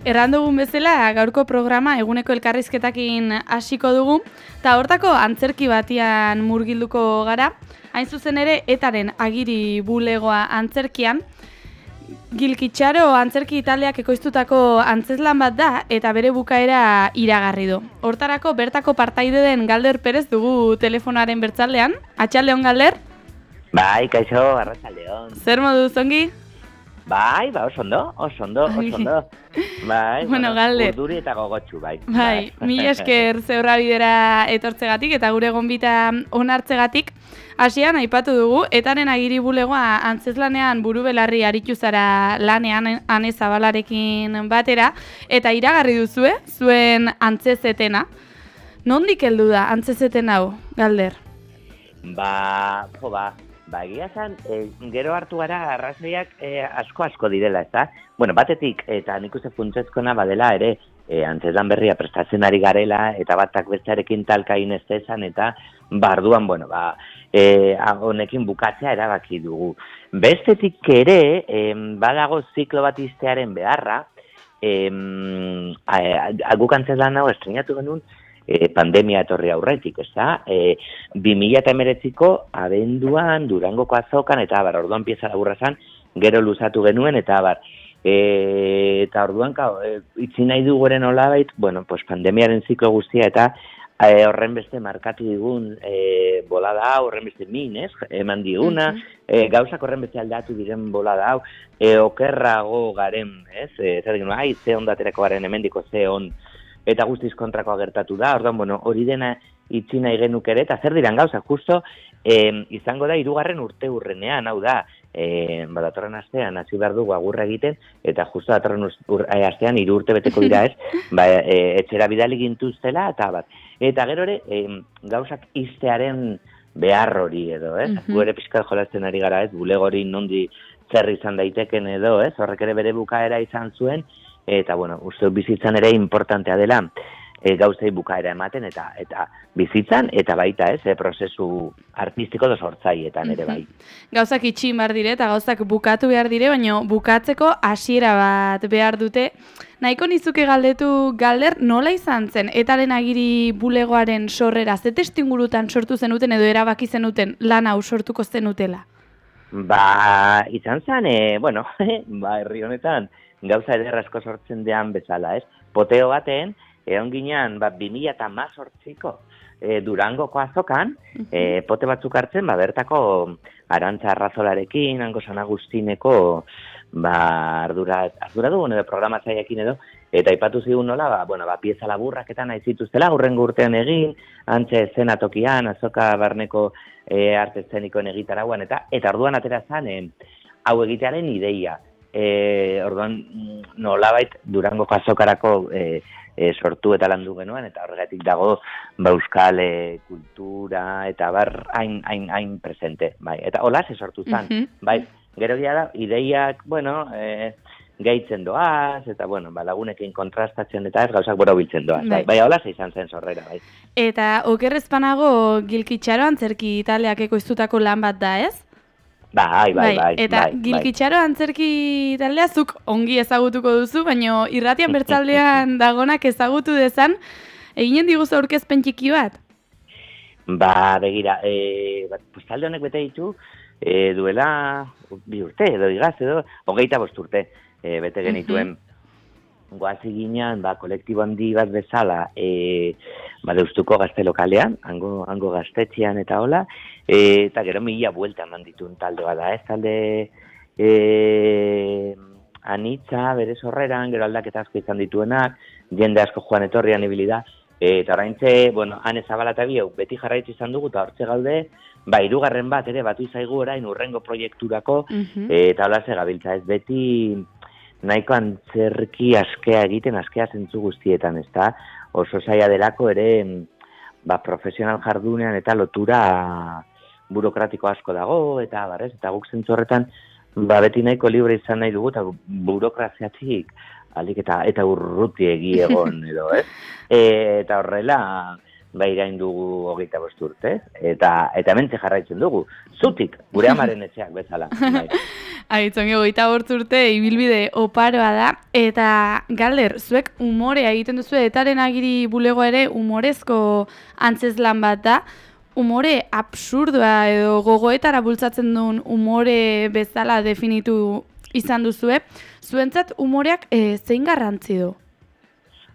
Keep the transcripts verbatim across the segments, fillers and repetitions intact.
Erran dugun bezala, gaurko programa eguneko elkarrizketakin hasiko dugu, eta hortako antzerki batian murgilduko gara, hain zuzen ere etaren agiri bulegoa antzerkian. Gilkitxaro antzerki taldeak ekoiztutako antzezlan bat da eta bere bukaera iragarri du. Hortarako bertako partaide den Galder Perez dugu telefonaren bertzaldean. Atxaldeon, Galder? Bai, kaixo, arratsaldeon. Zer modu zongi? Bai, ba, oso ondo, oso ondo, oso ondo. Bai, bueno, Galder. Urduri eta gogotsu, bai. Bai, mila esker zeurra bidera etortzegatik eta gure gonbita onartzegatik. Hasian aipatu dugu, etaren agiri bulegoa antzezlanean buru belarri aritu zara lanean Ane Zabalarekin batera, eta iragarri duzue, zuen antzezetena. Nondik heldu da antzezeten hau, Galder? Ba, jo ba, ba egia zan, e, gero hartu gara arrazoiak e, asko-asko direla, ez da? Bueno, batetik, eta nik uste funtsezkoena badela ere, e, antzezlan berria prestatzen ari garela, eta batak bestearekin talka inestezan, eta barduan, bueno, ba, e, honekin bukatzea erabaki dugu. Bestetik ere, e, badago ziklo bat iztearen beharra, e, guk antzezlan hau estrenatu genuen, E, pandemia etorri aurretik, ez da? E, bi mila hemeretziko abenduan, Durangoko azokan, eta abar, orduan pieza laburra zan, gero luzatu genuen, eta abar. E, eta orduan, kao, e, itzi nahi duguren olabait, bueno, pues pandemiaren ziklo guztia, eta e, horren beste markatu digun e, bolada hau, horren beste min, ez? Eman diguna, e, gauzak horren beste aldatu diren bolada hau, e, okerrago garen, ez? E, zer digun, ai, ze ondaterako garen hemendiko, ze on, eta guztiz kontrakoa gertatu da, orduan, bueno, hori dena itzi nahi genuk ere, eta zer diran gauza, justo eh, izango da hirugarren urte urrenean, hau da, eh, badatorren astean hasi behar dugu agurra egiten, eta justo datorren astean hiru urte beteko dira ez, ba, e, etxera bidali gintuztela, eta bat. Eta gero ere, eh, gauzak iztearen behar hori edo, ez? Mm-hmm. Gu ere pixkat jolazten ari gara, ez? Bulego hori nondi zer izan daiteken edo, ez? Horrek ere bere bukaera izan zuen, eta, bueno, uste bizitzan ere importantea dela e, gauzei bukaera ematen eta eta bizitzan, eta baita ez, e, prozesu artistiko da sortzaietan ere bai. Gauzak itxin behar dire eta gauzak bukatu behar dire, baina bukatzeko hasiera bat behar dute. Nahiko nizuke galdetu, Galder, nola izan zen etaren agiri bulegoaren sorrera, ze testuingurutan sortu zenuten edo erabaki zenuten lan hau sortuko zenutela? Ba, izan zen, e, bueno, ba, herri honetan, gauza eder asko sortzen dean bezala, ez? Poteo baten, egon ginean, ba, bi mila hemezortziko e, Durangoko azokan, e, pote batzuk hartzen, ba, bertako Arantza Arrazolarekin, Hango San Agustineko, ba, ardura, ardura dugun edo programatzaileekin edo, eta aipatu zigun nola, ba, bueno, ba, pieza laburraketan nahi zituztela, hurrengo urtean egin, antze eszenatokian, azoka barneko e, arte eszenikoen egitarauan, eta eta orduan atera zan, e, hau egitearen ideia. E, orduan nolabait Durangoko azokarako e, e, sortu eta landu genuen, eta horregatik dago ba, euskal e, kultura eta bar hain, hain, hain presente. Bai. Eta hola ze sortu zen. Mm-hmm. Bai, gero gira da, ideiak, bueno, e, gehitzen doaz, eta bueno, ba, lagunekin kontrastatzen eta ez gauzak boro biltzen doaz. Bai, bai hola ze izan zen sorrera. Bai. Eta okerrezpanago Gilkitxaro antzerki taldeak ekoiztutako lan bat da, ez? Bai, bai, bai. Eta bai, Gilkitxaro bai. Antzerki taldea zuk ongi ezagutuko duzu, baina irratian bertzaldean dagonak ezagutu dezan, eginen diguzu aurkezpen txiki bat? Ba, begira, e, bat, pues, talde honek bete ditu, e, duela bi urte, edo igaz, edo hogeita bost urte e, bete genituen. Uh-huh. Goazi ginean, ba, kolektibo handi bat bezala, e, ba, Deustuko gazte lokalean, hango, hango gaztetxean eta hola, e, eta gero mila buelta eman dituen talde bada, ez talde e, anitza, bere sorreran, gero aldaketa asko izan dituenak, jende asko joan etorrian ibilida, e, eta oraintze, bueno, Ane Zabala eta bieu, beti jarraitzu izan dugu, eta hortze gaude, ba, hirugarren bat ere batu izaigu orain urrengo proiekturako, uh-huh. e, eta hola ze gabiltza, ez beti nahiko antzerki askea egiten, askea zentzu guztietan, ez da? Oso zaila delako ere, ba, profesional jardunean eta lotura burokratiko asko dago, eta barrez, eta guk zentzu horretan, ba, beti nahiko libre izan nahi dugu, eta burokraziatik, alik eta, eta urruti egi egon, edo, ez? E, eta horrela, ba, irain dugu hogeita bost urte, eta, eta mentze jarraitzen dugu, zutik, gure amaren etxeak bezala. Bai. Aitzongi, hogeita bortz urte ibilbide oparoa da, eta Galder, zuek umorea egiten duzu, etaren agiri bulegoa ere umorezko antzezlan bat da, umore absurdoa edo gogoetara bultzatzen duen umore bezala definitu izan duzue, zuentzat umoreak e, zein garrantzi du?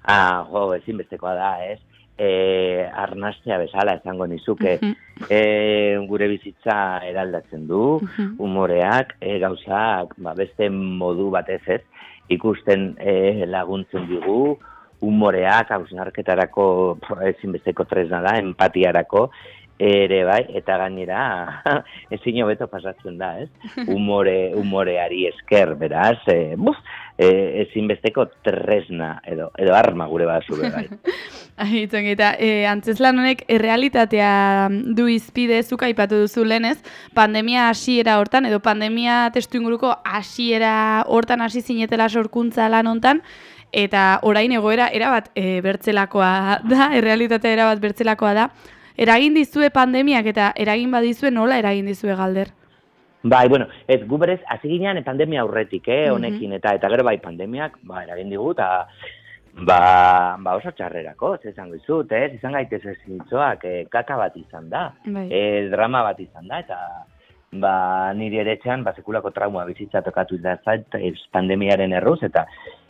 Ah, jo, ezinbestekoa da, ez? E, arnastea bezala esango nizuke, uh -huh. e, gure bizitza eraldatzen du, uh -huh. umoreak, e, gauzak, ba, beste modu batez ez, ikusten e, laguntzen digu, umoreak, hausnarketarako ezinbesteko tresna da, empatiarako, ere bai, eta gainera ezin hobeto pasatzen da, ez? Umore, umoreari esker, beraz, e, buf, e, ezinbesteko tresna edo, edo arma gure bazu bai. Aitzon, eta e, antzezlan honek errealitatea du izpide, zuk aipatu duzu lenez, pandemia hasiera hortan, edo pandemia testu inguruko hasiera hortan hasi zinetela sorkuntza lan hontan, eta orain egoera erabat e, bertzelakoa da, errealitatea erabat bertzelakoa da. Eragin dizue pandemiak eta eragin badizue nola eragin dizue Galder? Bai, bueno, ez gu berez, hasi ginean pandemia aurretik, eh, honekin, eta eta gero bai pandemiak, ba, eragin digu, eta ba, ba oso txarrerako, ez esango izut, ez, izan gaitez ez zintzoak, eh, kaka bat izan da, bai. eh, drama bat izan da, eta ba, niri ere etxean, ba, sekulako trauma bizitza tokatu izan, pandemiaren erruz, eta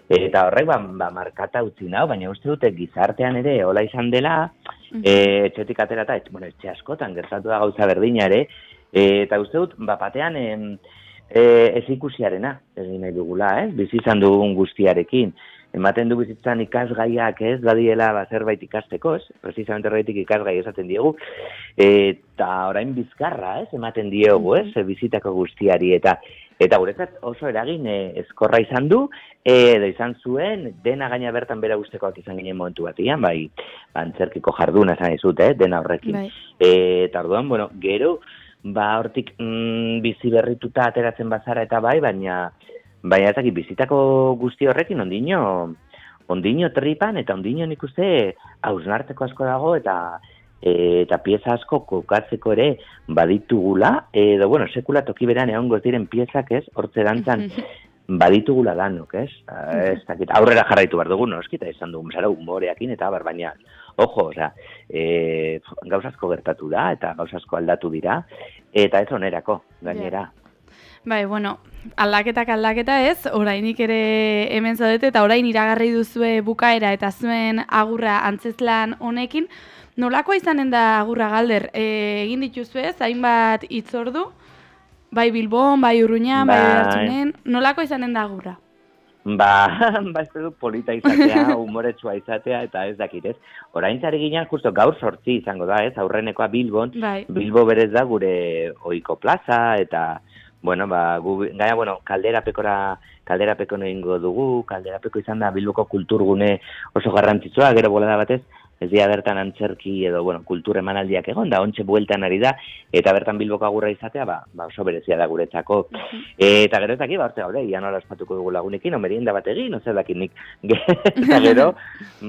eta horrek, ba, ba markata utzi nau, baina uste dute gizartean ere hola izan dela, uh-huh. e, etxetik atera eta, bueno, etxe askotan gertatu da gauza berdina ere, e, eta uste dut, ba, batean e, e, ez ikusiarena, egin nahi dugula, ez, bizi izan dugun guztiarekin, ematen du bizitzan ikasgaiak ez, badiela ba, zerbait ikasteko, ez, precisamente horretik ikasgai esaten diegu, eta orain bizkarra, ez, ematen diegu, ez, bizitako guztiari, eta Eta guretzat oso eragin e, ezkorra izan du, edo izan zuen, dena gaina bertan bera guztekoak izan ginen momentu batian, bai, antzerkiko jarduna esan izut, eh, dena horrekin. Bai. E, eta orduan, bueno, gero, ba, hortik mm, bizi berrituta ateratzen bazara eta bai, baina, baina ezakit bizitako guzti horrekin ondino, ondino tripan, eta ondino nik uste hausnarteko asko dago, eta E, eta pieza asko kokatzeko ere baditugula, edo, bueno, sekula toki beran egongo diren piezak, ez, hortze dantzan baditugula danok, ez, ez dakit, aurrera jarraitu behar dugu, no, eskita izan dugu, zara, humoreakin, eta bar, baina, ojo, oza, e, gauzazko gertatu da, eta gauzazko aldatu dira, eta ez onerako, gainera. Bai, bueno, aldaketak aldaketa ez, orainik ere hemen zaudete, eta orain iragarri duzue bukaera, eta zuen agurra antzezlan honekin. Nolakoa izanen da agurra Galder? E, egin dituzu ez, hainbat hitzordu, bai Bilbon, bai Urruñan, bai Behartzunen, nolakoa izanen da agurra? Ba, ba ez dut polita izatea, humoretsua izatea, eta ez dakit ez. Orain zari ginen, justo gaur sortzi izango da ez, aurrenekoa Bilbon, bai. Bilbo berez da gure ohiko plaza, eta, bueno, ba, gu, gaia, bueno, kalderapekora, kalderapeko egingo dugu, kalderapeko izan da Bilboko kulturgune oso garrantzitsua, gero bolada batez, ez dira bertan antzerki edo, bueno, kultur emanaldiak egon, da ontxe bueltan ari da, eta bertan Bilboko agurra izatea, ba, ba oso berezia da guretzako. Uh-huh. Eta gero ez daki, ba, orte gaur, ian hola espatuko dugu lagunekin, o merienda bat egin, no zer dakit nik. Eta gero,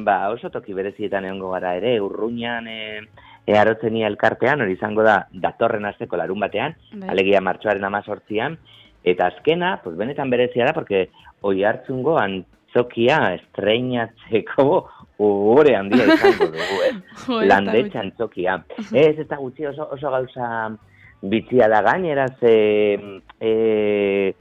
ba, oso toki berezietan egongo gara ere, Urruñan, e, earotzenia elkartean, hori izango da, datorren asteko larun batean, Be. alegia martxoaren amazortzian, eta azkena, pues benetan berezia da, porque oi hartzungo antzokia estreinatzeko Hore handia izango dugu, eh? Landetxa antzokia. Ez, ez da gutxi oso, oso gauza bitxia da gainera, ze, e,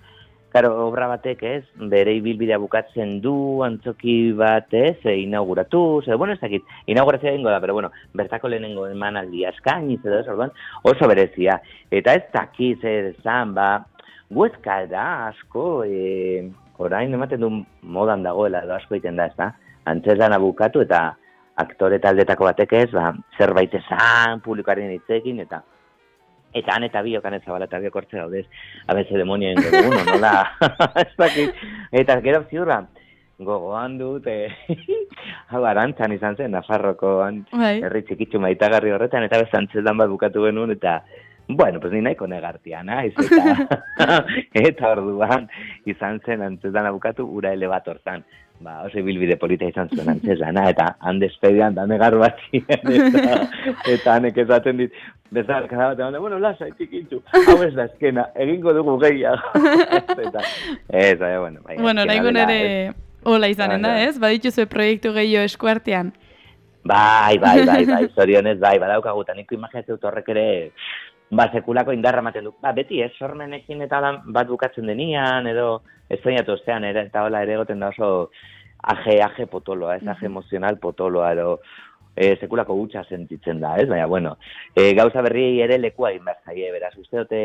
karo, obra batek, ez, bere ibilbidea bukatzen du, antzoki bat, ez, e, inauguratu, ze, bueno, ez dakit, inaugurazioa egingo da, pero bueno, bertako lehenengo emanaldia eskainiz, edo ez, orduan, oso berezia. Eta ez dakiz, ez, zan, ba, guezka da asko, e, orain ematen du modan dagoela, edo asko egiten da, ez da? Antzezlana bukatu eta aktore taldetako batek ez, ba, zerbait esan publikoaren hitzekin, eta eta han eta biok han ezabala eta biok hortze gaudez, abeze demonioen dugu, no, nola, ez dakit, eta gero ziurra, gogoan dut, e, hau arantzan izan zen, Nafarroko herri txikitzu maitagarri horretan, eta bez antzezlan bat bukatu genuen, eta Bueno, pues ni nahiko negartia, naiz, eta, eta orduan izan zen antzesan abukatu ura ele bat orzan. Ba, oso ibilbide polita izan zuen antzesana, eta han despedian da negar bat ziren, eta, eta hanek esaten dit, bezalka da bat, bueno, lasa, etikintzu, hau ez da ezkena, egingo dugu gehiago. eta, ez, bai, bueno, bai. Bueno, nahi ere hola izanen da, ez? Badituzue proiektu gehiago eskuartean. Bai, bai, bai, bai, zorionez, bai, badaukaguta, niko imaginatzen dut horrek ere, ba, sekulako indarra ematen du. Ba, beti, ez, sormenekin eta lan bat bukatzen denian, edo, ez soñatu ostean, ere, eta hola ere goten da oso aje, aje potoloa, ez, aje emozional potoloa, edo, e, sekulako gutxa sentitzen da, ez, baina, bueno, e, gauza berri ere lekua inbertzaie, beraz, uste dute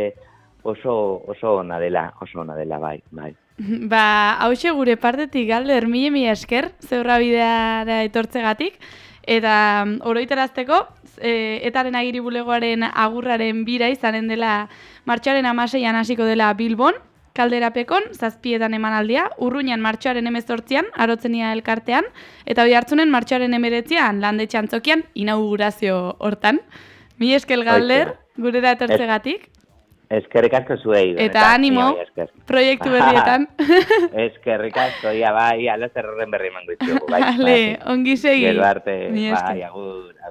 oso, oso ona dela, oso ona dela, bai, bai. Ba, hause gure partetik galder, mila mila esker, zeurra bideara etortzegatik, eta oroitarazteko, e, etaren agiri bulegoaren agurraren bira izanen dela martxoaren hamaseian hasiko dela Bilbon, Kalderapekon, zazpietan emanaldia, Urruñan martxoaren hemezortzian, Arotzenia elkartean, eta Oiartzunen martxoaren hemeretzian, Landetxe antzokian, inaugurazio hortan. Mi eskel galder, gurera etortzegatik. Eskerrik asko zuei. Eta animo, proiektu berrietan. Eskerrik asko, ia bai, alaz errorren berri emango itxugu. Bai, Vale, ongi segi. Gero arte, bai, agur, agur.